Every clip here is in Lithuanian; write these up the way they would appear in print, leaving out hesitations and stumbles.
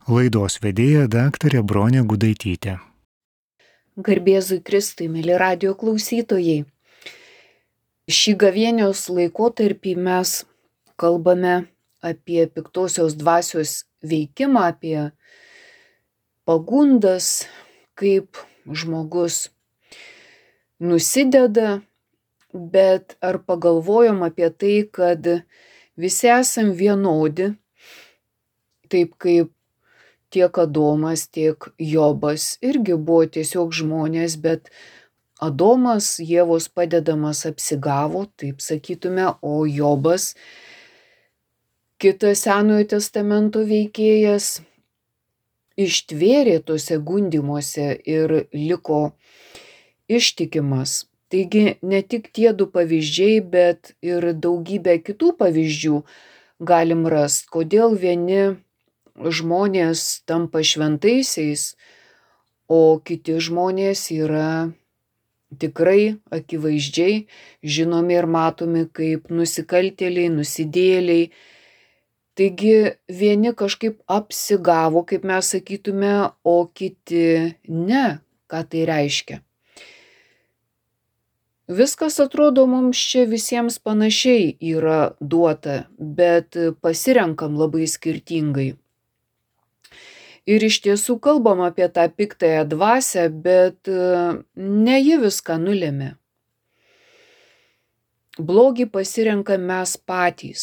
Laidos vedėja daktarė Bronė Gudaitytė. Garbėzui Kristui, mėly radijo klausytojai. Šį gavėnios laikotarpį mes kalbame apie piktosios dvasios veikimą, apie pagundas, kaip žmogus nusideda, bet ar pagalvojom apie tai, kad visi esam vienodi, taip kaip tiek Adomas, tiek Jobas irgi buvo tiesiog žmonės, bet Adomas Ievos padedamas apsigavo, taip sakytume, o Jobas, kitas Senojo testamento veikėjas, ištvėrė tuose gundymuose ir liko ištikimas. Taigi ne tik tie du pavyzdžiai, bet ir daugybę kitų pavyzdžių galim rasti, kodėl vieni žmonės tampa šventaisiais, o kiti žmonės yra tikrai akivaizdžiai žinomi ir matomi kaip nusikaltėliai, nusidėjėliai. Taigi vieni kažkaip apsigavo, kaip mes sakytume, o kiti ne. Ką tai reiškia? Viskas atrodo mums čia visiems panašiai yra duota, bet pasirenkam labai skirtingai. Ir iš tiesų kalbam apie tą piktąją dvasią, bet ne ji viską nulėmė. Blogį pasirenkam mes patys.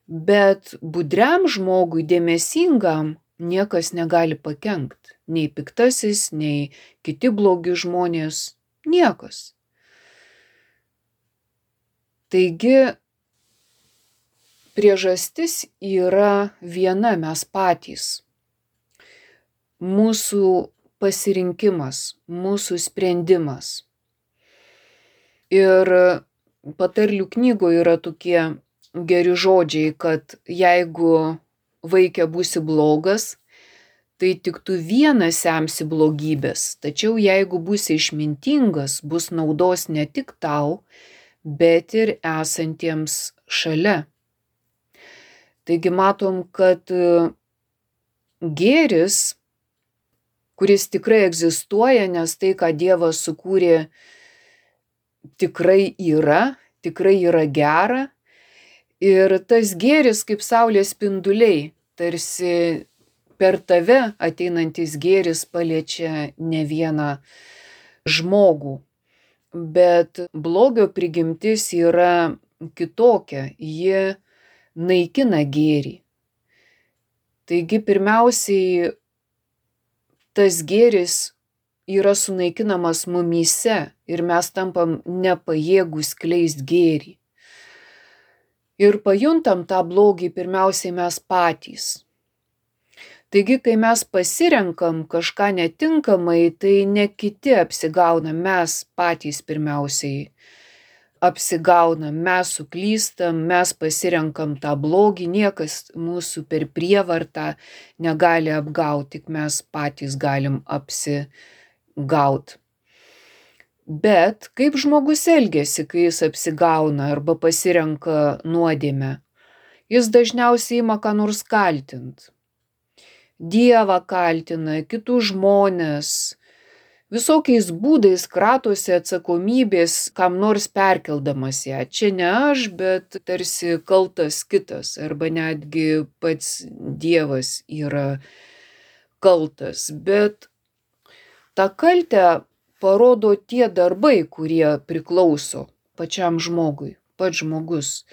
Bet budriam žmogui, dėmesingam, niekas negali pakenkt. Nei piktasis, nei kiti blogi žmonės. Niekas. Taigi priežastis yra viena, mes patys. Mūsų pasirinkimas, mūsų sprendimas. Ir patarlių knygoje yra tokie geri žodžiai, kad jeigu vaike būsi blogas, tai tik tu vienas semsi blogybės, tačiau jeigu būsi išmintingas, bus naudos ne tik tau, bet ir esantiems šalia. Taigi matom, kad gėris, kuris tikrai egzistuoja, nes tai, ką Dievas sukūrė, tikrai yra gera. Ir tas gėris kaip saulės spinduliai, tarsi per tave ateinantis gėris paliečia ne vieną žmogų. Bet blogio prigimtis yra kitokia, ji naikina gėrį. Taigi pirmiausiai tas gėris yra sunaikinamas mumyse ir mes tampam nepajėgūs skleist gėrį. Ir pajuntam tą blogį pirmiausiai mes patys. Taigi, kai mes pasirenkam kažką netinkamai, tai ne kiti apsigauna, mes patys pirmiausiai apsigaunam, mes suklystam, mes pasirenkam tą blogį, niekas mūsų per prievartą negali apgauti, tik mes patys galim apsigaut. Bet kaip žmogus elgiasi, kai jis apsigauna arba pasirenka nuodėmę? Jis dažniausiai ima ką nors kaltint. Dievą kaltina, kitus žmones, visokiais būdais kratosi atsakomybės, kam nors perkeldamas ją. Čia ne aš, bet tarsi kaltas kitas, arba netgi pats Dievas yra kaltas. Bet tą kaltę parodo tie darbai, kurie priklauso pačiam žmogui, pats žmogus,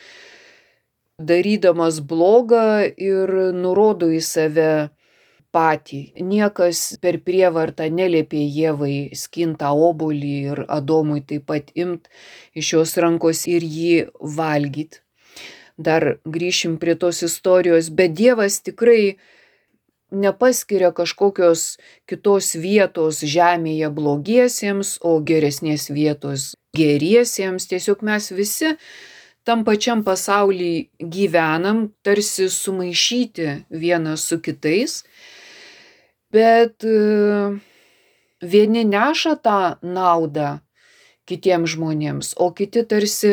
darydamas blogą ir nurodo į save patį. Niekas per prievartą neliepė Ievai skint tą obuolį ir Adomui taip pat imt iš jos rankos ir jį valgyt. Dar grįšim prie tos istorijos, bet Dievas tikrai nepaskiria kažkokios kitos vietos žemėje blogiesiems, o geresnės vietos geriesiems. Tiesiog mes visi tam pačiam pasauly gyvenam, tarsi sumaišyti vienas su kitais. Bet vieni neša tą naudą kitiems žmonėms, o kiti tarsi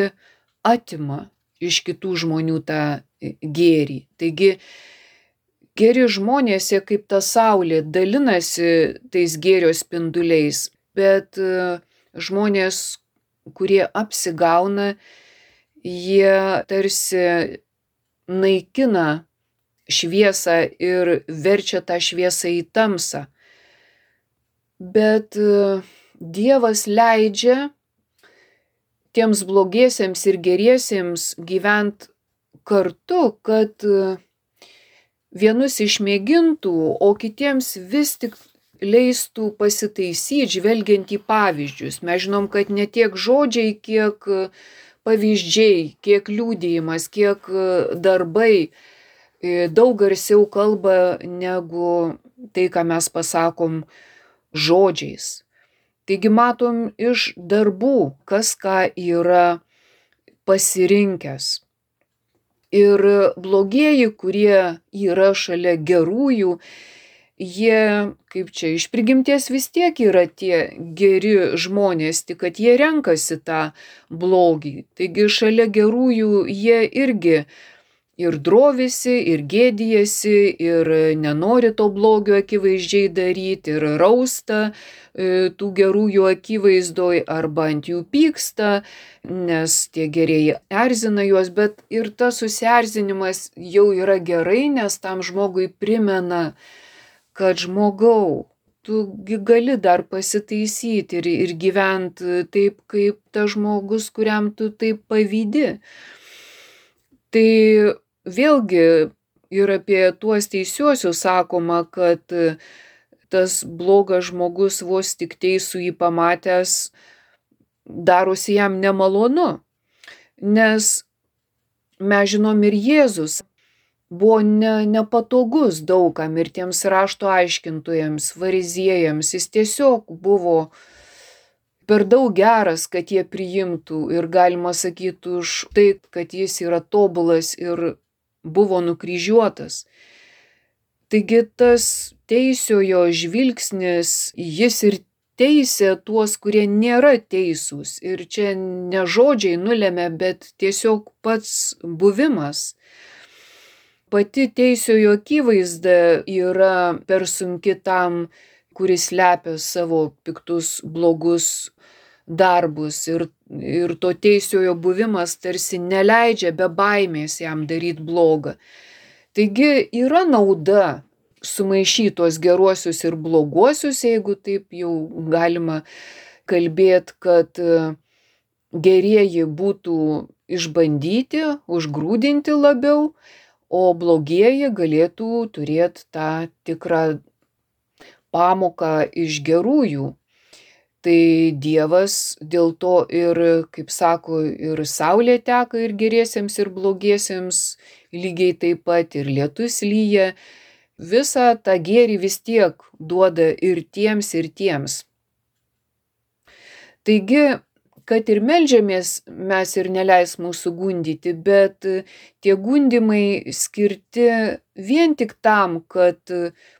atima iš kitų žmonių tą gėrį. Taigi Geri žmonės, jie kaip ta saulė, dalinasi tais gėrio spinduliais, bet žmonės, kurie apsigauna, jie tarsi naikina šviesą ir verčia tą šviesą į tamsą. Bet Dievas leidžia tiems blogiesiems ir geriesiems gyvent kartu, kad vienus išmėgintų, o kitiems vis tik leistų pasitaisyti, žvelgiant į pavyzdžius. Mes žinom, kad ne tiek žodžiai, kiek pavyzdžiai, kiek liudijimas, kiek darbai daug garsiau kalba negu tai, ką mes pasakom žodžiais. Taigi matom iš darbų, kas ką yra pasirinkęs. Ir blogieji, kurie yra šalia gerųjų, jie, kaip čia, iš prigimties vis tiek yra tie geri žmonės, tik kad jie renkasi tą blogį. Taigi šalia gerųjų jie irgi ir drovisi, ir gėdijasi, ir nenori to blogio akivaizdžiai daryti, ir rausta tų gerųjų akivaizdoj arba ant jų pyksta, nes tie gerieji erzina juos, bet ir tas susierzinimas jau yra gerai, nes tam žmogui primena, kad žmogau, tugi gali dar pasitaisyti ir gyventi taip, kaip tas žmogus, kuriam tu taip pavydi. Tai vėlgi ir apie tuos teisiuosius sakoma, kad tas blogas žmogus vos tik teisų jį pamatęs darosi jam nemalonu. Nes mes žinom ir Jėzus buvo nepatogus daugam ir tiems rašto aiškintojams, fariziejams. Jis tiesiog buvo per daug geras, kad jie priimtų ir galima sakyti už tai, kad jis yra tobulas ir buvo nukryžiuotas. Taigi tas teisiojo žvilgsnis, jis ir teisė tuos, kurie nėra teisūs. Ir čia ne žodžiai nulemia, bet tiesiog pats buvimas. Pati teisiojo akivaizda yra per sunki tam, kuris slepia savo piktus, blogus darbus. Ir to teisiojo buvimas tarsi neleidžia be baimės jam daryti blogą. Taigi yra nauda sumaišyti tuos geruosius ir bloguosius, jeigu taip jau galima kalbėti, kad gerieji būtų išbandyti, užgrūdinti labiau, o blogieji galėtų turėti tą tikrą pamoką iš gerųjų. Tai Dievas dėl to ir, kaip sako, ir saulė teka ir geriesiems ir blogiesiems lygiai taip pat, ir lietus lyja. Visą tą gėrį vis tiek duoda ir tiems. Taigi, kad ir meldžiamės, mes ir neleis mūsų gundyti, bet tie gundimai skirti vien tik tam, kad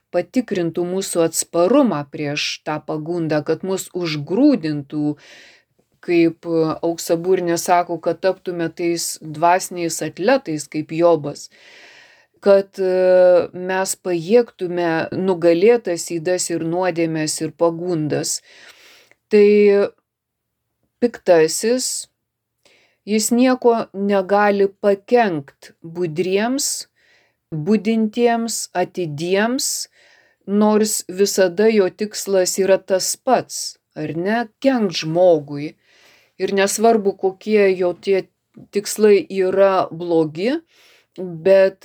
patikrintų mūsų atsparumą prieš tą pagundą, kad mus užgrūdintų, kaip Auksaburnė sako, kad taptume tais dvasiniais atletais, kaip Jobas, kad mes pajėgtume nugalėtas ydas ir nuodėmes ir pagundas. Tai piktasis, jis nieko negali pakenkt budriems, budintiems, atidiems, nors visada jo tikslas yra tas pats, ar ne, kenkt žmogui. Ir nesvarbu, kokie jo tie tikslai yra blogi, bet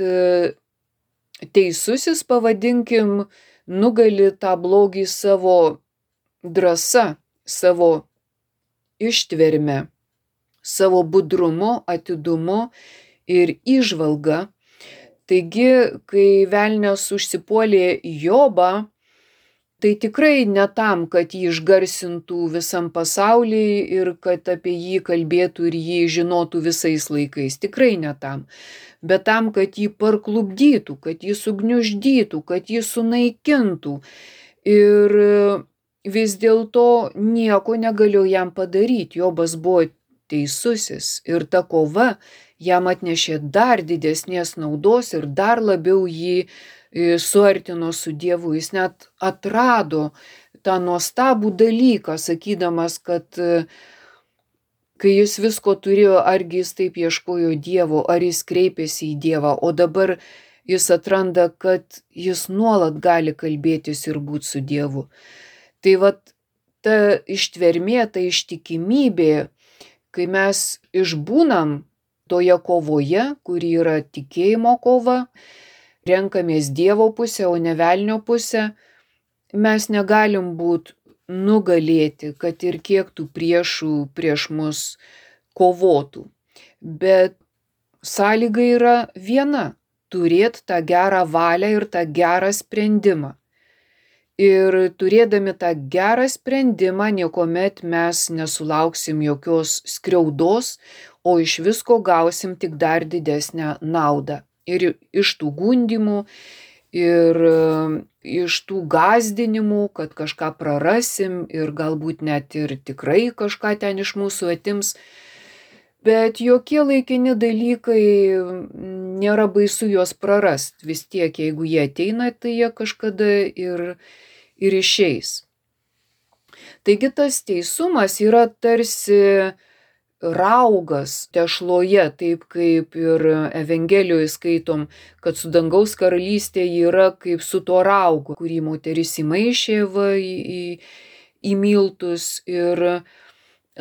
teisusis, pavadinkim, nugali tą blogį savo drąsa, savo ištverme, savo budrumu, atidumu ir įžvalga. Taigi, kai velnias užsipuolė Jobą, tai tikrai ne tam, kad jį išgarsintų visam pasauliui ir kad apie jį kalbėtų ir jį žinotų visais laikais. Tikrai ne tam. Bet tam, kad jį parklupdytų, kad jį sugniuždytų, kad jį sunaikintų. Ir vis dėlto nieko negalėjo jam padaryti. Jobas buvo teisusis ir ta kova jam atnešė dar didesnės naudos ir dar labiau jį suartino su Dievu, jis net atrado tą nuostabų dalyką, sakydamas, kad kai jis visko turėjo, argi jis taip ieškojo Dievo, ar jis kreipėsi į Dievą, o dabar jis atranda, kad jis nuolat gali kalbėtis ir būti su Dievu. Tai vat ta ištvermė, ta ištikimybė, kai mes išbūnam toje kovoje, kuri yra tikėjimo kova, renkamės Dievo pusę, o ne velnio pusę, mes negalim būti nugalėti, kad ir kiek tų priešų prieš mus kovotų. Bet sąlyga yra viena - turėti tą gerą valią ir tą gerą sprendimą. Ir turėdami tą gerą sprendimą, niekuomet mes nesulauksim jokios skriaudos, o iš visko gausim tik dar didesnę naudą. Ir iš tų gundymų, ir iš tų gąsdinimų, kad kažką prarasim ir galbūt net ir tikrai kažką ten iš mūsų atims. Bet jokie laikini dalykai nėra baisu juos prarast. Vis tiek, jeigu jie ateina, tai jie kažkada ir išeis. Taigi tas teisumas yra tarsi raugas tešloje, taip kaip ir Evangelijoje skaitom, kad su dangaus karalystė yra kaip su tuo raugu, kurį moteris įmaišė į miltus, ir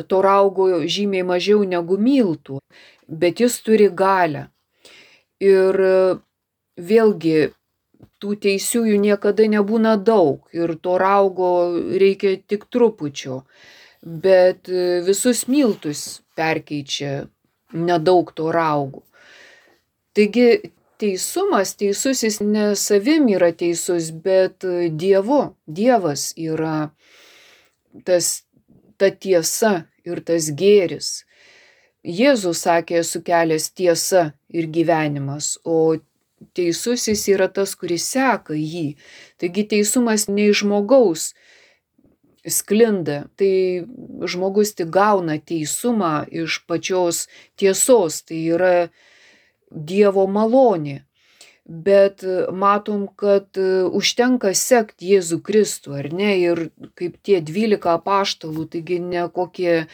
to raugo žymiai mažiau negu miltų, bet jis turi galią. Ir vėlgi tų teisiųjų niekada nebūna daug ir to raugo reikia tik trupučio, bet visus miltus perkeičia nedaug to raugų. Taigi teisusis ne savim yra teisus, bet Dievu. Dievas yra ta tiesa ir tas gėris. Jėzus sakė, esu kelias, tiesa ir gyvenimas, o teisusis yra tas, kuris seka jį. Taigi teisumas ne iš žmogaus sklinda, tai žmogus tik gauna teisumą iš pačios tiesos, tai yra Dievo malonė. Bet matom, kad užtenka sekti Jėzų Kristų, ar ne, ir kaip tie 12 apaštalų, taigi ne kokie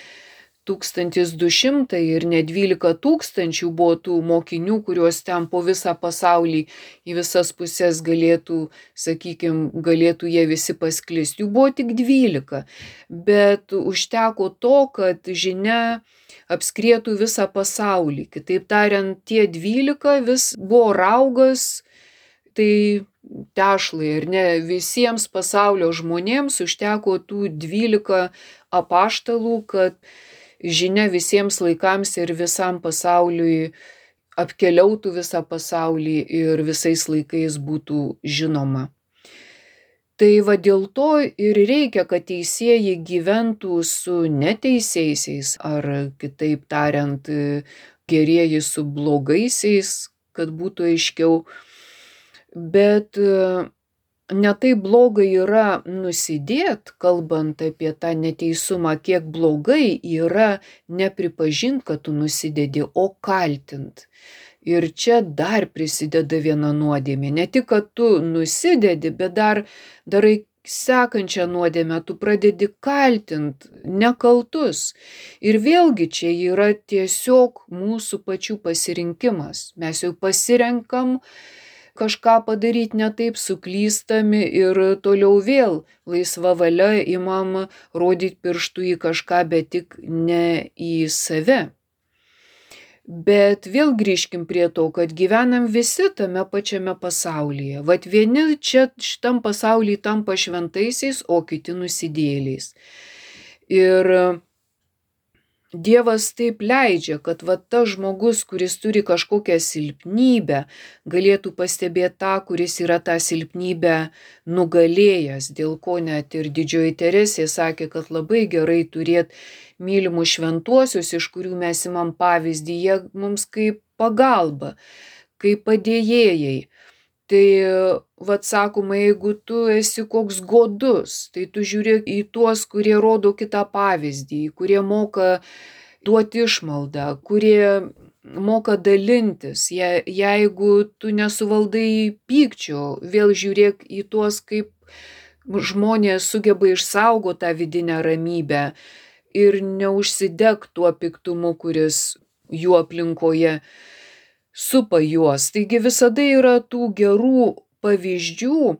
1200 ir ne 12 000 buvo tų mokinių, kuriuos ten po visą pasaulį į visas pusės galėtų jie visi pasklisti. Jų buvo tik 12, bet užteko to, kad žinia apskrietų visą pasaulį. Kitaip tariant, tie 12 vis buvo raugas, tai tešlai, ir ne visiems pasaulio žmonėms užteko tų 12 apaštalų, kad žinia visiems laikams ir visam pasauliui apkeliautų visą pasaulį ir visais laikais būtų žinoma. Tai va dėl to ir reikia, kad teisėjai gyventų su neteisiaisiais, ar kitaip tariant, gerieji su blogaisiais, kad būtų aiškiau. Bet ne tai blogai yra nusidėt, kalbant apie tą neteisumą, kiek blogai yra nepripažint, kad tu nusidedi, o kaltint. Ir čia dar prisideda viena nuodėmė. Ne tik, kad tu nusidedi, bet dar darai sekančią nuodėmę, tu pradedi kaltint nekaltus. Ir vėlgi čia yra tiesiog mūsų pačių pasirinkimas. Mes jau pasirenkam kažką padaryti ne taip, suklystami ir toliau vėl laisva valia imam rodyti pirštų į kažką, bet tik ne į save. Bet vėl grįžkim prie to, kad gyvenam visi tame pačiame pasaulyje. Vat vieni čia šitam pasaulyje tampa šventaisiais, o kiti nusidėjėliais. Ir Dievas taip leidžia, kad va tas žmogus, kuris turi kažkokią silpnybę, galėtų pastebėti tą, kuris yra tą silpnybę nugalėjęs, dėl ko net ir Didžioji Teresė sakė, kad labai gerai turėti mylimus šventuosius, iš kurių mes imam pavyzdį, jie mums kaip pagalba, kaip padėjėjai. Tai, vat sakoma, jeigu tu esi koks godus, tai tu žiūrėk į tuos, kurie rodo kitą pavyzdį, kurie moka duoti išmaldą, kurie moka dalintis. Jeigu tu nesuvaldai pykčio, vėl žiūrėk į tuos, kaip žmonės sugeba išsaugoti tą vidinę ramybę ir neužsideg tuo piktumu, kuris jų aplinkoje supa juos. Taigi visada yra tų gerų pavyzdžių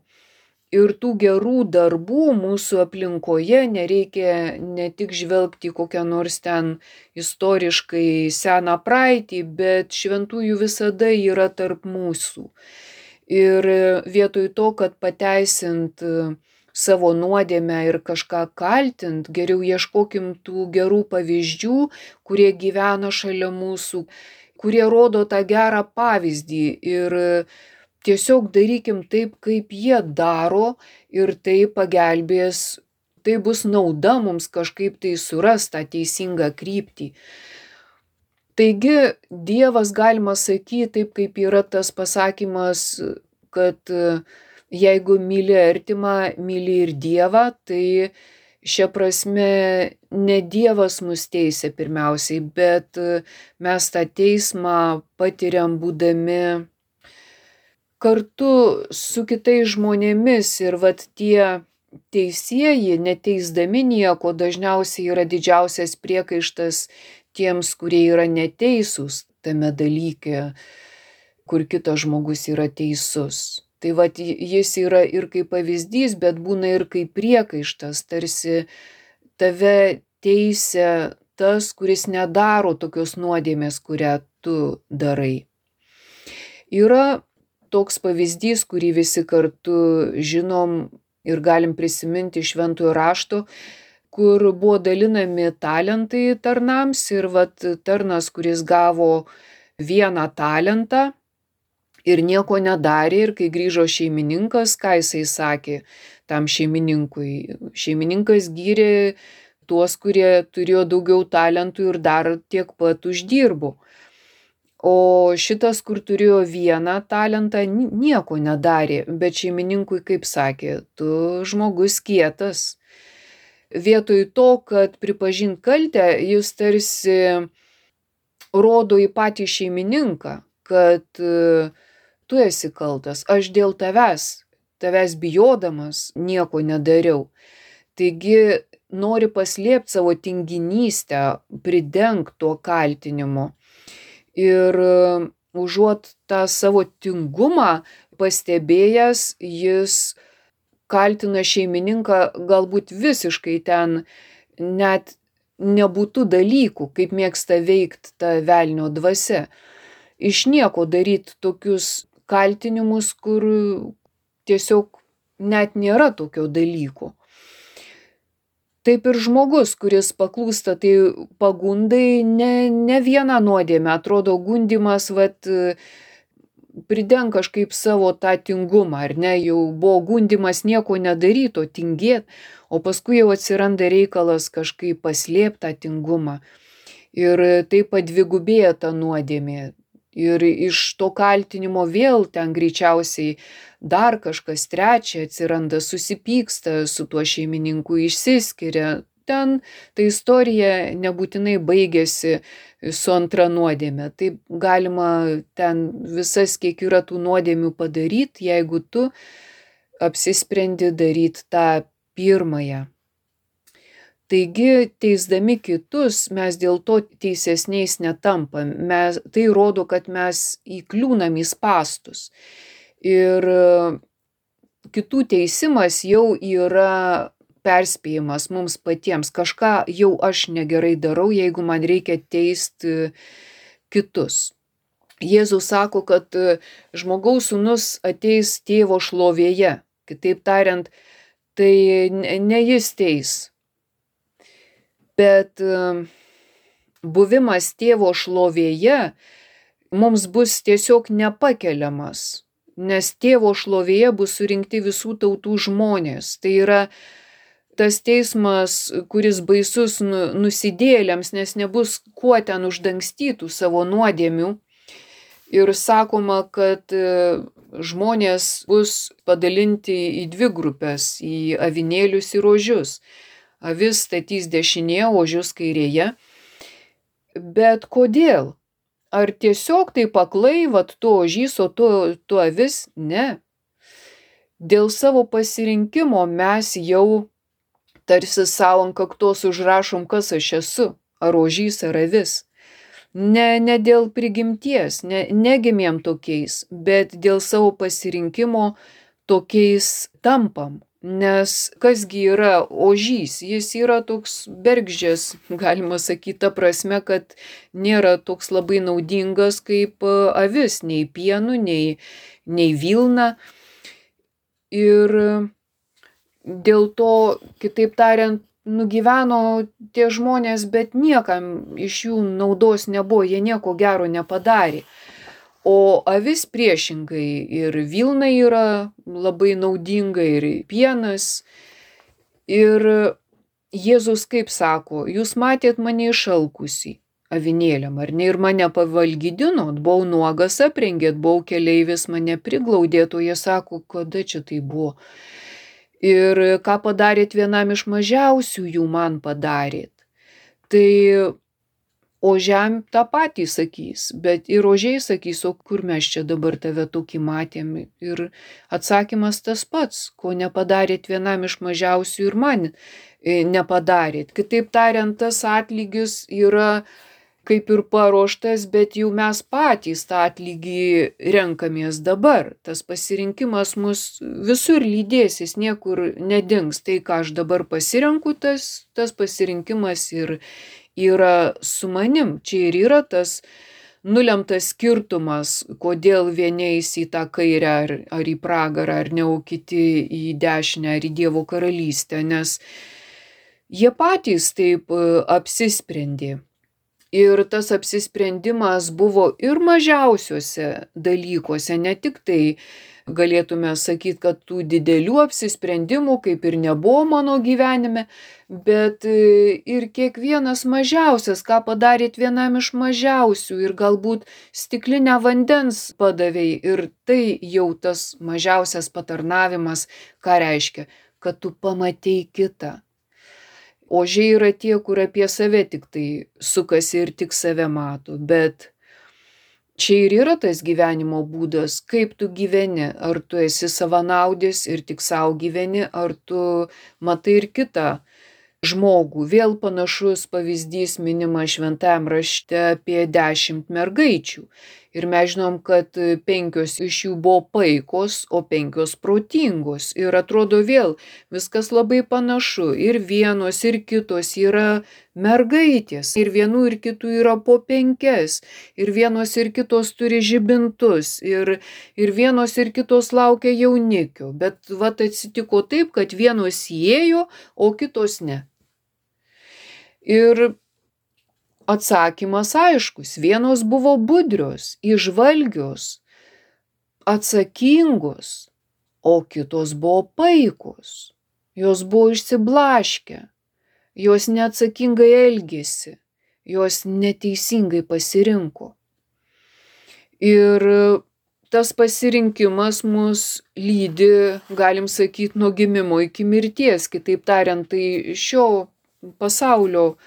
ir tų gerų darbų mūsų aplinkoje. Nereikia ne tik žvelgti į kokią nors ten istoriškai seną praeitį, bet šventųjų visada yra tarp mūsų. Ir vietoj to, kad pateisint savo nuodėmę ir kažką kaltint, geriau ieškokim tų gerų pavyzdžių, kurie gyvena šalia mūsų, kurie rodo tą gerą pavyzdį ir tiesiog darykim taip, kaip jie daro ir tai pagelbės, tai bus nauda mums kažkaip tai surast tą teisingą kryptį. Taigi Dievas, galima sakyti, taip kaip yra tas pasakymas, kad jeigu myli artimą, myli ir Dievą, tai šia prasme ne Dievas mus teisia pirmiausiai, bet mes tą teismą patiriam būdami kartu su kitais žmonėmis ir vat tie teisieji, neteisdami nieko, dažniausiai yra didžiausias priekaištas tiems, kurie yra neteisūs tame dalyke, kur kitas žmogus yra teisus. Tai vat jis yra ir kaip pavyzdys, bet būna ir kaip priekaištas, tarsi tave teisia tas, kuris nedaro tokios nuodėmės, kurią tu darai. Yra toks pavyzdys, kurį visi kartu žinom ir galim prisiminti iš Šventojo rašto, kur buvo dalinami talentai tarnams ir vat tarnas, kuris gavo 1 talentą ir nieko nedarė, ir kai grįžo šeimininkas, ką jisai sakė tam šeimininkui? Šeimininkas gyrė tuos, kurie turėjo daugiau talentų ir dar tiek pat uždirbo. O šitas, kur turėjo 1 talentą, nieko nedarė, bet šeimininkui kaip sakė, tu žmogus kietas. Vietoj to, kad pripažint kaltę, jis tarsi rodo į patį šeimininką, kad tu esi kaltas, aš dėl tavęs bijodamas nieko nedariau. Taigi nori paslėpti savo tinginystę, pridengt tuo kaltinimu. Ir užuot tą savo tingumą pastebėjęs, jis kaltina šeimininką galbūt visiškai ten net nebūtų dalykų, kaip mėgsta veikt ta velnio dvasia. Iš nieko daryt tokius kaltinimus, kur tiesiog net nėra tokio dalyko. Taip ir žmogus, kuris paklūsta tai pagundai, ne 1 nuodėmę, atrodo gundymas, vat prideng kažkaip savo tą tingumą, ar ne, jau buvo gundymas nieko nedaryt, o tingėt, o paskui jau atsiranda reikalas kažkaip paslėpt tą tingumą. Ir taip padvigubėja ta nuodėmė. Ir iš to kaltinimo vėl ten greičiausiai dar kažkas trečia atsiranda, susipyksta su tuo šeimininku, išsiskiria. Ten ta istorija nebūtinai baigėsi su 2 nuodėme. Taip galima ten visas, kiek yra tų nuodėmių padaryt, jeigu tu apsisprendi daryt tą 1. Taigi, teisdami kitus, mes dėl to teisesniais netampam. Tai rodo, kad mes įkliūnam į spąstus. Ir kitų teisimas jau yra perspėjimas mums patiems. Kažką jau aš negerai darau, jeigu man reikia teisti kitus. Jėzus sako, kad žmogaus sūnus ateis tėvo šlovėje. Kitaip tariant, tai ne jis teis. Bet buvimas tėvo šlovėje mums bus tiesiog nepakeliamas, nes tėvo šlovėje bus surinkti visų tautų žmonės. Tai yra tas teismas, kuris baisus nusidėjėliams, nes nebus kuo ten uždangstytų savo nuodėmių. Ir sakoma, kad žmonės bus padalinti į 2 grupės, į avinėlius ir ožius. Avis statys dešinėje, ožius kairėje. Bet kodėl? Ar tiesiog taip aklai, vat tu ožys, o tu avis? Ne. Dėl savo pasirinkimo mes jau tarsi savo ant kaktos užrašom, kas aš esu, ar ožys, ar avis. Ne dėl prigimties, negimėm tokiais, bet dėl savo pasirinkimo tokiais tampam. Nes kasgi yra ožys? Jis yra toks bergždžias, galima sakyti, ta prasme, kad nėra toks labai naudingas kaip avis, nei pienu, nei vilna. Ir dėl to, kitaip tariant, nugyveno tie žmonės, bet niekam iš jų naudos nebuvo, jie nieko gero nepadarė. O avis priešingai, ir vilna yra labai naudinga, ir pienas. Ir Jėzus kaip sako, jūs matėt mane išalkusį avinėliam, ar ne, ir mane pavalgydinot, buvau nuogas, aprengėt, buvau keleivis, mane priglaudėt, o jie sako, kada čia tai buvo. Ir ką padarėt vienam iš mažiausių, jų man padarėt. Tai ožiam tą patį sakys, bet ir ožiai sakys, o kur mes čia dabar tave tokį matėm. Ir atsakymas tas pats, ko nepadarėt vienam iš mažiausių ir man nepadarėt. Kitaip tariant, tas atlygis yra kaip ir paruoštas, bet jau mes patys tą atlygį renkamės dabar. Tas pasirinkimas mus visur lydės, jis niekur nedings. Tai, ką aš dabar pasirenku, tas pasirinkimas ir yra su manim. Čia ir yra tas nulemtas skirtumas, kodėl vieni eis į tą kairę ar į pragarą, ar ne, o kiti į dešinę, ar į Dievo karalystę, nes jie patys taip apsisprendė. Ir tas apsisprendimas buvo ir mažiausiuose dalykuose, ne tik tai galėtume sakyti, kad tų didelių apsisprendimų kaip ir nebuvo mano gyvenime, bet ir kiekvienas mažiausias, ką padarėt vienam iš mažiausių, ir galbūt stiklinę vandens padavei, ir tai jau tas mažiausias patarnavimas, ką reiškia, kad tu pamatei kitą. Ožiai yra tie, kur apie save tik tai sukasi ir tik save mato, bet čia ir yra tas gyvenimo būdas, kaip tu gyveni, ar tu esi savanaudis ir tik savo gyveni, ar tu matai ir kitą žmogų. Vėl panašus pavyzdys minima Šventajam rašte apie 10 mergaičių. Ir mes žinom, kad 5 iš jų buvo paikos, o 5 protingos. Ir atrodo vėl viskas labai panašu. Ir vienos, ir kitos yra mergaitės. Ir vienų ir kitų yra po 5. Ir vienos ir kitos turi žibintus. Ir vienos ir kitos laukia jaunikių. Bet vat atsitiko taip, kad vienos įėjo, o kitos ne. Ir atsakymas aiškus. Vienos buvo budrios, įžvalgios, atsakingos, o kitos buvo paikos. Jos buvo išsiblaškę, jos neatsakingai elgėsi, jos neteisingai pasirinko. Ir tas pasirinkimas mus lydi, galim sakyti, nuo gimimo iki mirties. Kitaip tariant, tai šio pasaulio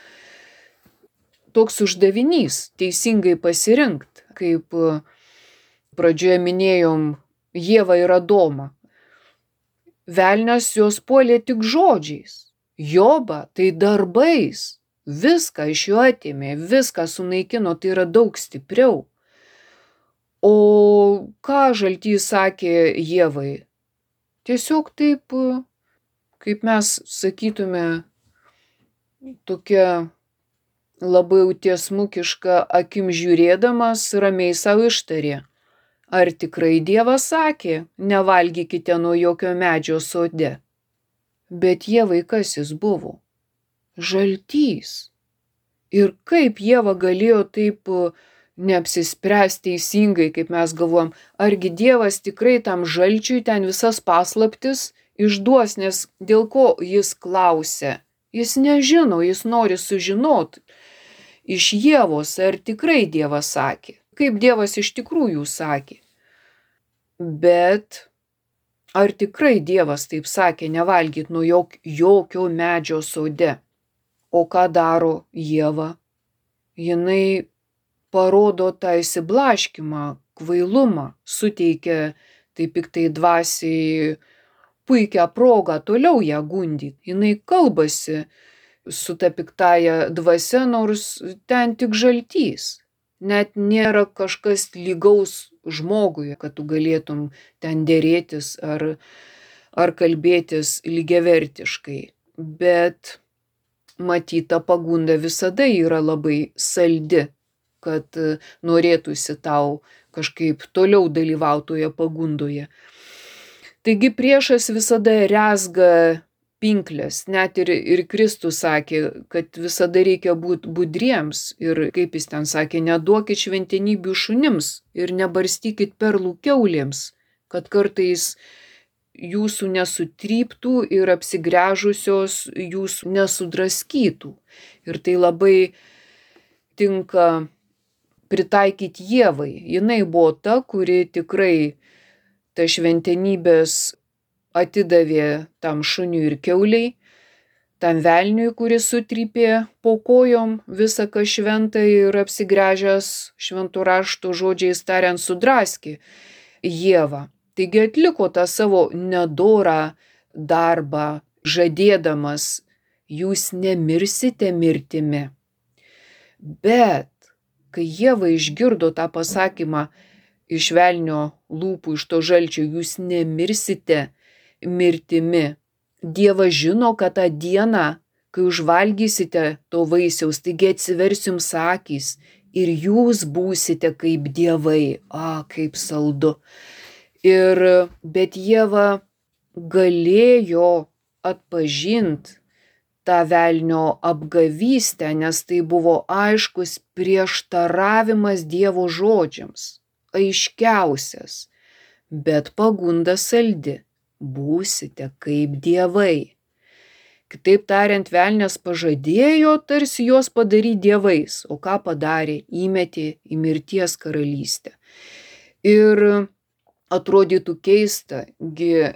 toks uždavinys teisingai pasirinkt, kaip pradžioje minėjom Ievą ir Adomą. Velnias jos puolė tik žodžiais, Jobą tai darbais, viską iš jo atėmė, viską sunaikino, tai yra daug stipriau. O ką Žaltys sakė Ievai? Tiesiog taip, kaip mes sakytume, tokia labai tiesmukiška akim žiūrėdamas ramiai savo ištarė. Ar tikrai Dievas sakė, nevalgykite nuo jokio medžio sode? Bet Ievai kas jis buvo? Žaltys. Ir kaip Ieva galėjo taip neapsispręsti teisingai, kaip mes galvojam, argi Dievas tikrai tam žalčiui ten visas paslaptis išduos, nes dėl ko jis klausia? Jis nežino, jis nori sužinot iš Ievos, ar tikrai Dievas sakė, kaip Dievas iš tikrųjų sakė. Bet ar tikrai Dievas taip sakė, nevalgyt nuo jokio medžio sode? O ką daro Ieva? Jinai parodo tą įsiblaškimą, kvailumą, suteikia tai piktai dvasiai puikią progą toliau ją gundyti. Jinai kalbasi su ta piktąja dvasia, nors ten tik žaltys. Net nėra kažkas lygaus žmogui, kad tu galėtum ten dėrėtis ar kalbėtis lygiavertiškai. Bet matyta pagunda visada yra labai saldi, kad norėtųsi tau kažkaip toliau dalyvautoje pagundoje. Taigi priešas visada rezga pinklės, net ir Kristus sakė, kad visada reikia būti budriems ir, kaip jis ten sakė, neduokit šventenybių šunims ir nebarstykit perlų kiaulėms, kad kartais jūsų nesutryptų ir apsigręžusios jūsų nesudraskytų. Ir tai labai tinka pritaikyti Ievai. Jinai buvo ta, kuri tikrai ta šventenybės atidavė tam šuniui ir kiauliai, tam velniui, kuris sutrypė po kojom visą ką šventą ir apsigręžęs šventų raštų žodžiais tariant sudraskė Ievą. Taigi atliko tą savo nedorą darbą, žadėdamas, jūs nemirsite mirtimi. Bet kai Ieva išgirdo tą pasakymą iš velnio lūpų, iš to žalčio, jūs nemirsite mirtimi, Dievas žino, kad tą dieną, kai užvalgysite to vaisiaus, taigi atsivers jums akys ir jūs būsite kaip dievai. Kaip saldu. Bet Ieva galėjo atpažinti tą velnio apgavystę, nes tai buvo aiškus prieštaravimas Dievo žodžiams, aiškiausias, bet pagunda saldi. Būsite kaip dievai. Kitaip tariant, velnias pažadėjo tarsi juos padaryti dievais, o ką padarė? Įmetė į mirties karalystę. Ir atrodytų keista, gi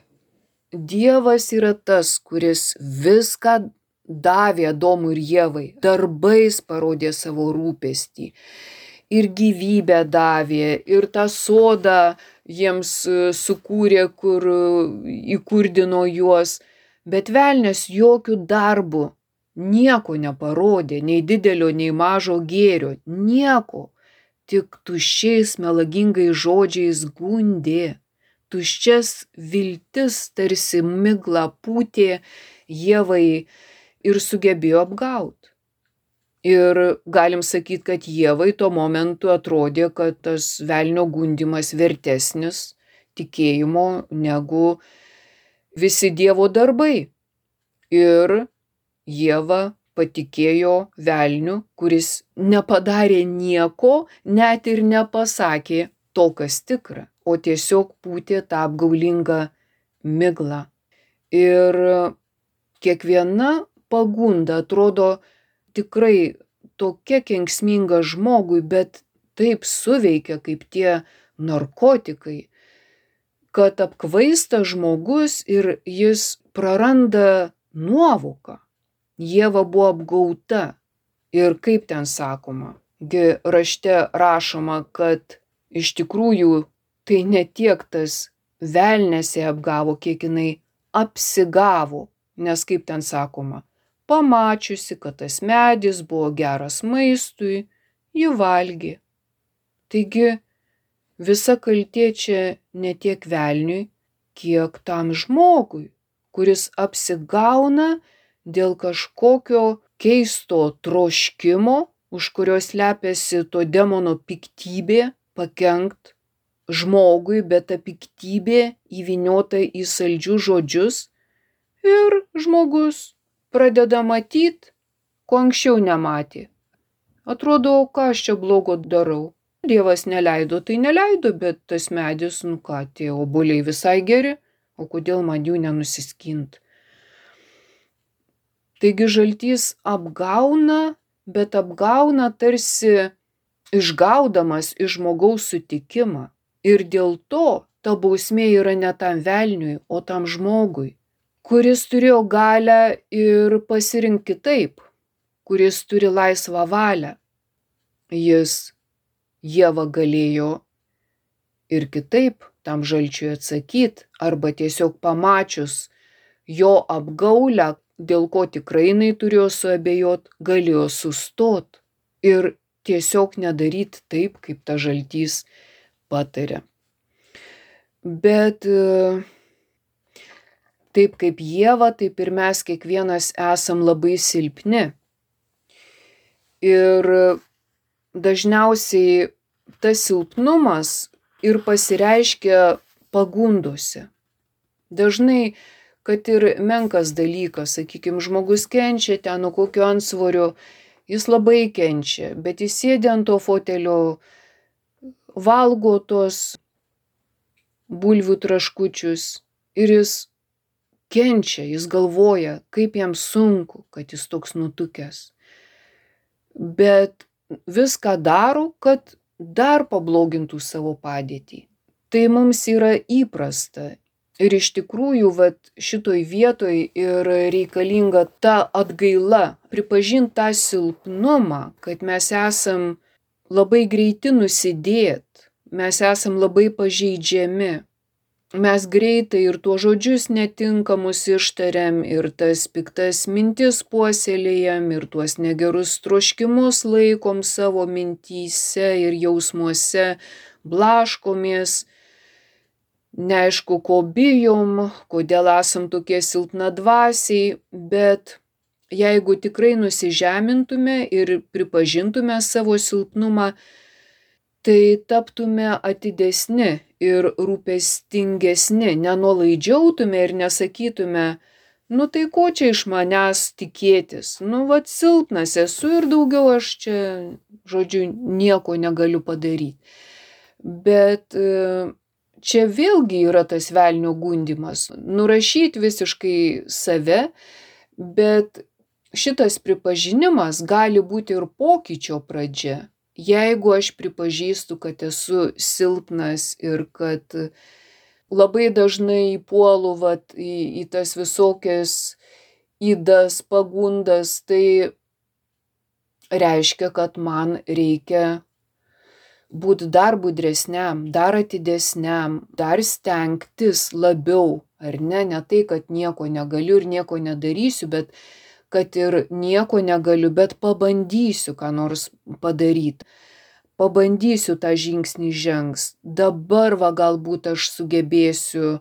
Dievas yra tas, kuris viską davė Adomui ir Ievai, darbais parodė savo rūpestį. Ir gyvybę davė, ir tą sodą jiems sukūrė, kur įkurdino juos. Bet velnias jokių darbų nieko neparodė, nei didelio, nei mažo gėrio, nieko. Tik tuščiais melagingais žodžiais gundė. Tuščias viltis tarsi migla pūtė Ievai ir sugebėjo apgauti. Ir galim sakyti, kad Ievai tuo momentu atrodė, kad tas velnio gundymas vertesnis tikėjimo negu visi Dievo darbai. Ir Ieva patikėjo velniu, kuris nepadarė nieko, net ir nepasakė to, kas tikra, o tiesiog pūtė tą apgaulingą miglą. Ir kiekviena pagunda atrodo tikrai tokia kenksminga žmogui, bet taip suveikia kaip tie narkotikai, kad apkvaista žmogus ir jis praranda nuovoką. Ieva buvo apgauta. Ir kaip ten sakoma, rašte rašoma, kad iš tikrųjų tai ne tiek tas velnias ją apgavo, kiek jinai apsigavo, nes kaip ten sakoma, pamačiusi, kad tas medis buvo geras maistui, ji valgė. Taigi visa kaltė čia ne tiek velniui, kiek tam žmogui, kuris apsigauna dėl kažkokio keisto troškimo, už kurio slepiasi to demono piktybė, pakenkt žmogui, bet ta piktybė įvyniota į saldžius žodžius ir žmogus pradeda matyti, ko anksčiau nematė. Atrodo, ką aš čia blogo darau. Dievas neleido, tai neleido, bet tas medis, tie obuoliai visai geri, o kodėl man jų nenusiskint? Taigi žaltys apgauna, bet apgauna tarsi išgaudamas iš žmogaus sutikimą. Ir dėl to ta bausmė yra ne tam velniui, o tam žmogui, kuris turėjo galią ir pasirinkti kitaip, kuris turi laisvą valią. Jis Ieva galėjo ir kitaip tam žalčiui atsakyti, arba tiesiog pamačius jo apgaulę, dėl ko tikrai jinai turėjo suabejot, galėjo sustot ir tiesiog nedaryti taip, kaip ta žaltys patarė. Bet taip kaip Ieva, taip ir mes kiekvienas esam labai silpni. Ir dažniausiai tas silpnumas ir pasireiškia pagundose. Dažnai, kad ir menkas dalykas, sakykime, žmogus kenčia ten nuo kokio antsvorio, jis labai kenčia, bet jis sėdi ant to fotelio, valgo tos bulvių traškučius ir jis kenčia, jis galvoja, kaip jam sunku, kad jis toks nutukęs. Bet viską daro, kad dar pablogintų savo padėtį. Tai mums yra įprasta. Ir iš tikrųjų, šitoj vietoj ir reikalinga ta atgaila, pripažinti tą silpnumą, kad mes esam labai greiti nusidėt, mes esam labai pažeidžiami. Mes greitai ir tuos žodžius netinkamus ištariam, ir tas piktas mintis puoselėjam, ir tuos negerus troškimus laikom savo mintyse ir jausmuose, blaškomės, neaišku, ko bijom, kodėl esam tokie silpnadvasiai, bet jeigu tikrai nusižemintume ir pripažintume savo silpnumą, tai taptume atidesni ir rūpestingesni, nenuolaidžiautume ir nesakytume, nu tai ko čia iš manęs tikėtis, silpnas esu ir daugiau aš čia, žodžiu, nieko negaliu padaryti. Bet čia vėlgi yra tas velnio gundymas, nurašyti visiškai save, bet šitas pripažinimas gali būti ir pokyčio pradžia. Jeigu aš pripažįstu, kad esu silpnas ir kad labai dažnai puolu į tas visokias ydas, pagundas, tai reiškia, kad man reikia būti dar budresniam, dar atidesniam, dar stengtis labiau, ar ne? Ne tai, kad nieko negaliu ir nieko nedarysiu, bet kad ir nieko negaliu, bet pabandysiu ką nors padaryti. Pabandysiu tą žingsnį žengs. Dabar galbūt aš sugebėsiu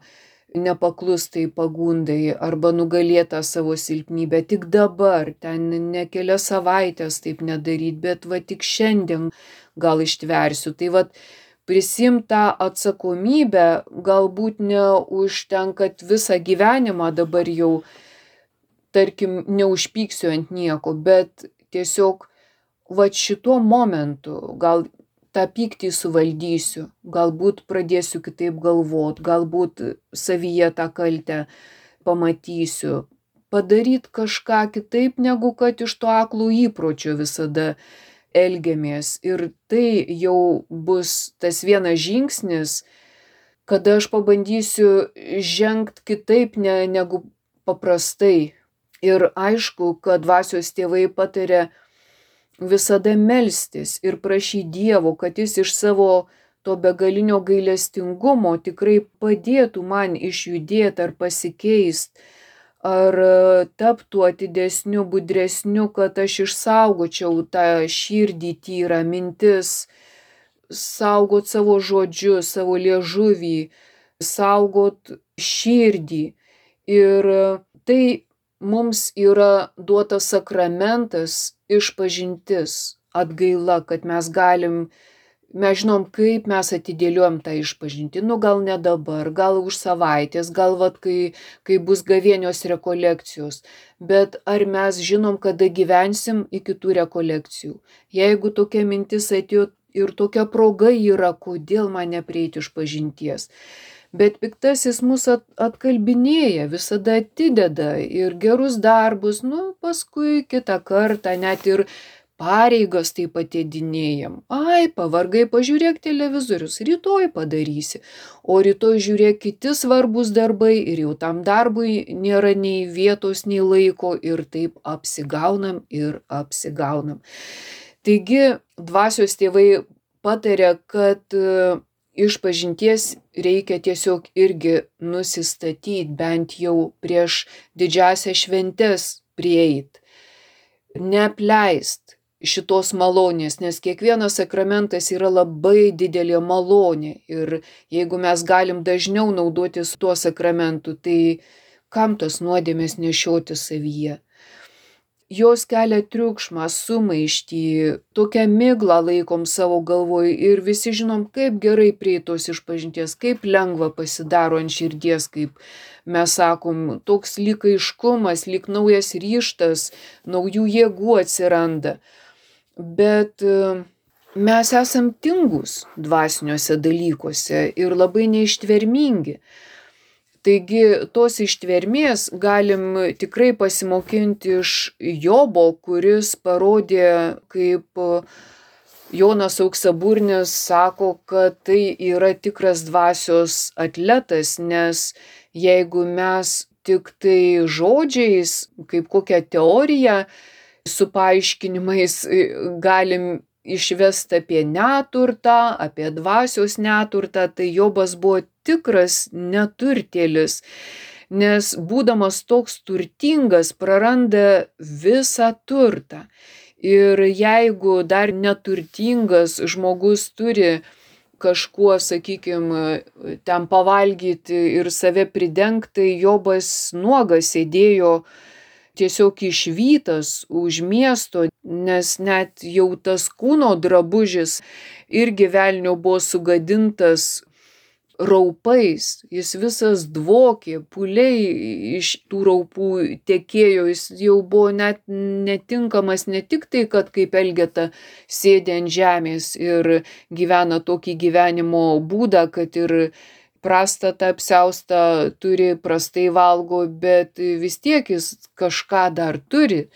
nepaklustai pagundai arba nugalėtą savo silpnybę. Tik dabar, ten ne kelias savaitės taip nedaryti, bet tik šiandien gal ištversiu. Tai prisimti tą atsakomybę, galbūt neužtenka visą gyvenimą dabar jau, tarkim, neužpyksiu ant nieko, bet tiesiog šituo momentu gal tą pyktį suvaldysiu, galbūt pradėsiu kitaip galvot, galbūt savyje tą kaltę pamatysiu, padaryti kažką kitaip, negu kad iš to aklo įpročio visada elgiamės. Ir tai jau bus tas vienas žingsnis, kada aš pabandysiu žengti kitaip negu paprastai. Ir aišku, kad dvasios tėvai pataria visada melstis ir prašyti Dievo, kad jis iš savo to begalinio gailestingumo tikrai padėtų man išjudėti ar pasikeist, ar taptų atidesniu, budresniu, kad aš išsaugočiau tą širdį tyrą, mintis, saugot savo žodžius, savo liežuvį, saugot širdį. Ir tai mums yra duotas sakramentas, išpažintis, atgaila, kad mes žinom, kaip mes atidėliojam tą išpažintį. Gal ne dabar, gal už savaitės, gal kai bus gavėnios rekolekcijos. Bet ar mes žinom, kada gyvensim iki tų rekolekcijų? Jeigu tokia mintis atėjo ir tokia proga yra, kodėl man neprieiti išpažinties? Bet piktasis mus atkalbinėja, visada atideda ir gerus darbus, paskui kitą kartą net ir pareigas taip atidinėjam. Ai, pavargai, pažiūrėk televizorius, rytoj padarysi, o rytoj žiūrėk kiti svarbus darbai ir jau tam darbui nėra nei vietos, nei laiko ir taip apsigaunam ir apsigaunam. Taigi, dvasios tėvai pataria, kad išpažinties reikia tiesiog irgi nusistatyti, bent jau prieš didžiąsias šventes prieit. Neapleist šitos malonės, nes kiekvienas sakramentas yra labai didelė malonė. Ir jeigu mes galim dažniau naudotis tuo sakramentu, tai kam tos nuodėmės nešioti savyje? Jos kelia triukšmą, sumaištį, tokią miglą laikom savo galvoj ir visi žinom, kaip gerai prieitos išpažinties, kaip lengva pasidaro ant širdies, kaip mes sakom, toks lyg aiškumas, lyg naujas ryžtas, naujų jėgų atsiranda. Bet mes esam tingus dvasiniuose dalykuose ir labai neištvermingi. Taigi tos ištvermės galim tikrai pasimokinti iš Jobo, kuris parodė, kaip Jonas Auksaburnis sako, kad tai yra tikras dvasios atletas, nes jeigu mes tik tai žodžiais, kaip kokią teoriją su paaiškinimais galim išvest apie neturtą, apie dvasios neturtą, tai Jobas buvo tikras neturtėlis, nes būdamas toks turtingas praranda visą turtą. Ir jeigu dar neturtingas žmogus turi kažkuo, sakykime, ten pavalgyti ir save pridengti, tai Jobas nuogas sėdėjo tiesiog išvytas už miesto, nes net jau tas kūno drabužis irgi velnio buvo sugadintas raupais, jis visas dvokė, pūliai iš tų raupų tekėjo, jis jau buvo net netinkamas ne tik tai, kad kaip Elgeta sėdi ant žemės ir gyvena tokį gyvenimo būdą, kad ir prastą tą apsiaustą turi, prastai valgo, bet vis tiek jis kažką dar turi.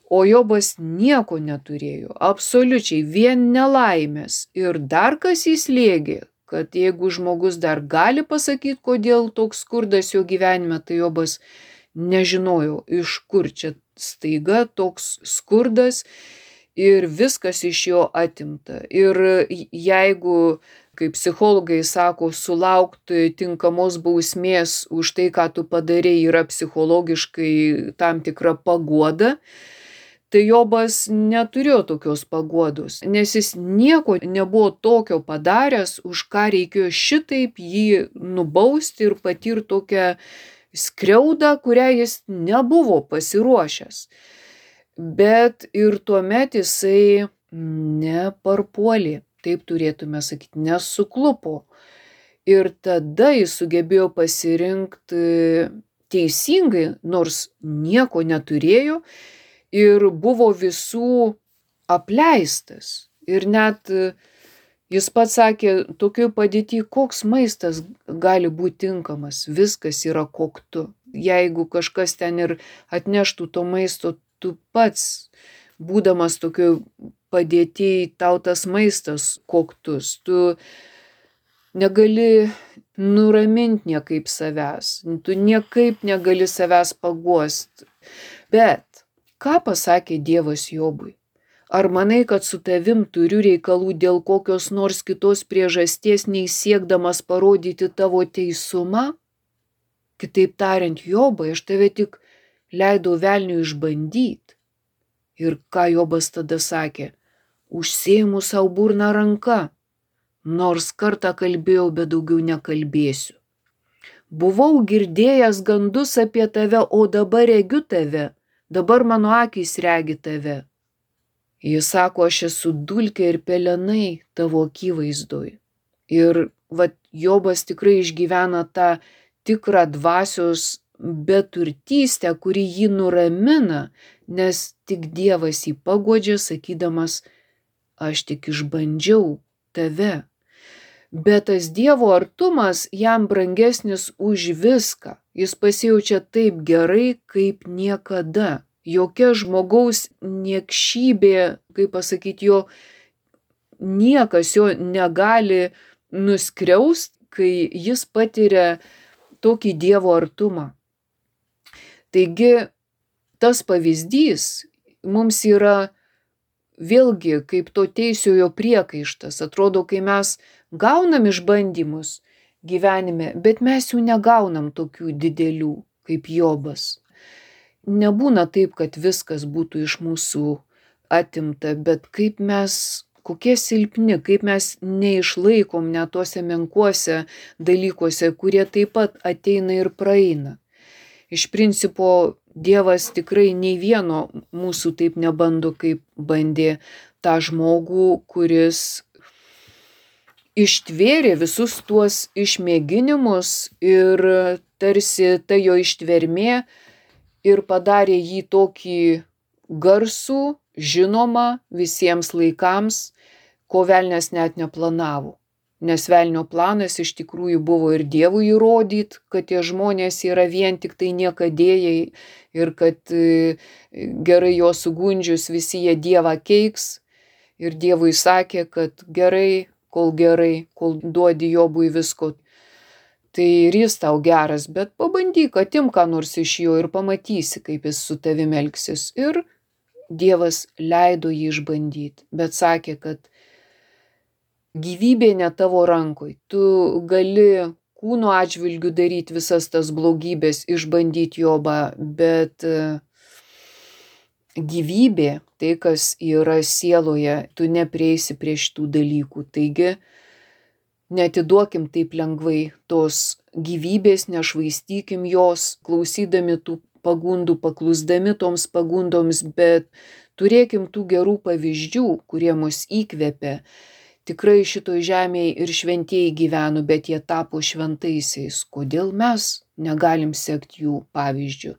O Jobas nieko neturėjo, absoliučiai, vien nelaimės. Ir dar kas jį slėgė, kad jeigu žmogus dar gali pasakyti, kodėl toks skurdas jo gyvenime, tai Jobas nežinojo, iš kur čia staiga toks skurdas ir viskas iš jo atimta. Ir jeigu, kaip psichologai sako, sulaukti tinkamos bausmės už tai, ką tu padarei, yra psichologiškai tam tikra paguoda, tai Jobas neturėjo tokios paguodos, nes jis nieko nebuvo tokio padaręs, už ką reikėjo šitaip jį nubausti ir patirti tokią skriaudą, kurią jis nebuvo pasiruošęs. Bet ir tuomet jisai neparpuolė, taip turėtume sakyti, nesuklupo. Ir tada jis sugebėjo pasirinkti teisingai, nors nieko neturėjo, ir buvo visų apleistas. Ir net jis pats sakė, tokioj padėty, koks maistas gali būti tinkamas, viskas yra koktu. Jeigu kažkas ten ir atneštų to maisto, tu pats, būdamas tokioj padėty, tau tas maistas koktus, tu negali nuraminti niekaip savęs, tu niekaip negali savęs paguost. Bet ką pasakė Dievas Jobui? Ar manai, kad su tavim turiu reikalų dėl kokios nors kitos priežasties, nei siekdamas parodyti tavo teisumą? Kitaip tariant, Jobai, aš tave tik leidau velniui išbandyti. Ir ką Jobas tada sakė? Užsėjimu savo burną ranka, nors kartą kalbėjau, bet daugiau nekalbėsiu. Buvau girdėjęs gandus apie tave, o dabar regiu tave. Dabar mano akys regi tave. Jis sako, aš esu dulkė ir pelenai tavo akivaizdoj. Ir Jobas tikrai išgyvena tą tikrą dvasios beturtystę, kuri jį nuramina, nes tik Dievas jį paguodžia, sakydamas, aš tik išbandžiau tave. Bet tas Dievo artumas jam brangesnis už viską. Jis pasijaučia taip gerai, kaip niekada. Jokia žmogaus niekšybė, kaip pasakyti, niekas jo negali nuskriaust, kai jis patiria tokį Dievo artumą. Taigi, tas pavyzdys mums yra vėlgi kaip to teisiojo priekaištas. Atrodo, kai mes gaunam išbandymus gyvenime, bet mes jų negaunam tokių didelių kaip Jobas. Nebūna taip, kad viskas būtų iš mūsų atimta, bet kaip mes, kokie silpni, kaip mes neišlaikom net tuose menkuose dalykuose, kurie taip pat ateina ir praeina. Iš principo Dievas tikrai nei vieno mūsų taip nebando, kaip bandė tą žmogų, kuris ištvėrė visus tuos išmėginimus ir tarsi ta jo ištvermė ir padarė jį tokį garsų, žinomą visiems laikams, ko velnias net neplanavo. Nes velnio planas iš tikrųjų buvo ir Dievui įrodyt, kad tie žmonės yra vien tik tai niekadėjai ir kad gerai jo sugundžius visi jie Dievą keiks. Ir Dievui sakė, kad gerai, kol duodi Jobui visko, tai ir jis tau geras, bet pabandyk, atimk ką nors iš jo ir pamatysi, kaip jis su tavimi elgsis. Ir Dievas leido jį išbandyti, bet sakė, kad gyvybė ne tavo rankoj. Tu gali kūno atžvilgiu daryti visas tas blogybės, išbandyti Jobą, bet gyvybė, tai kas yra sieloje, tu neprieisi prie šitų dalykų. Taigi, neatiduokim taip lengvai tos gyvybės, nešvaistykim jos, klausydami tų pagundų, paklusdami toms pagundoms, bet turėkim tų gerų pavyzdžių, kurie mus įkvepia. Tikrai šitoj žemėje ir šventieji gyveno, bet jie tapo šventaisiais. Kodėl mes negalim sekti jų pavyzdžių?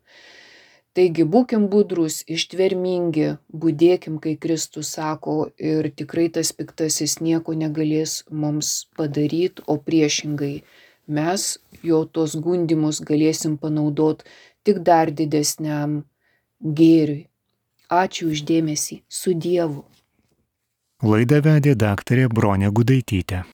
Taigi būkim budrus, ištvermingi, budėkim, kai Kristus sako, ir tikrai tas piktasis nieko negalės mums padaryti, o priešingai mes jo tos gundymus galėsim panaudoti tik dar didesniam gėriui. Ačiū už dėmesį. Su Dievu. Laidą vedė daktarė Bronė Gudaitytė.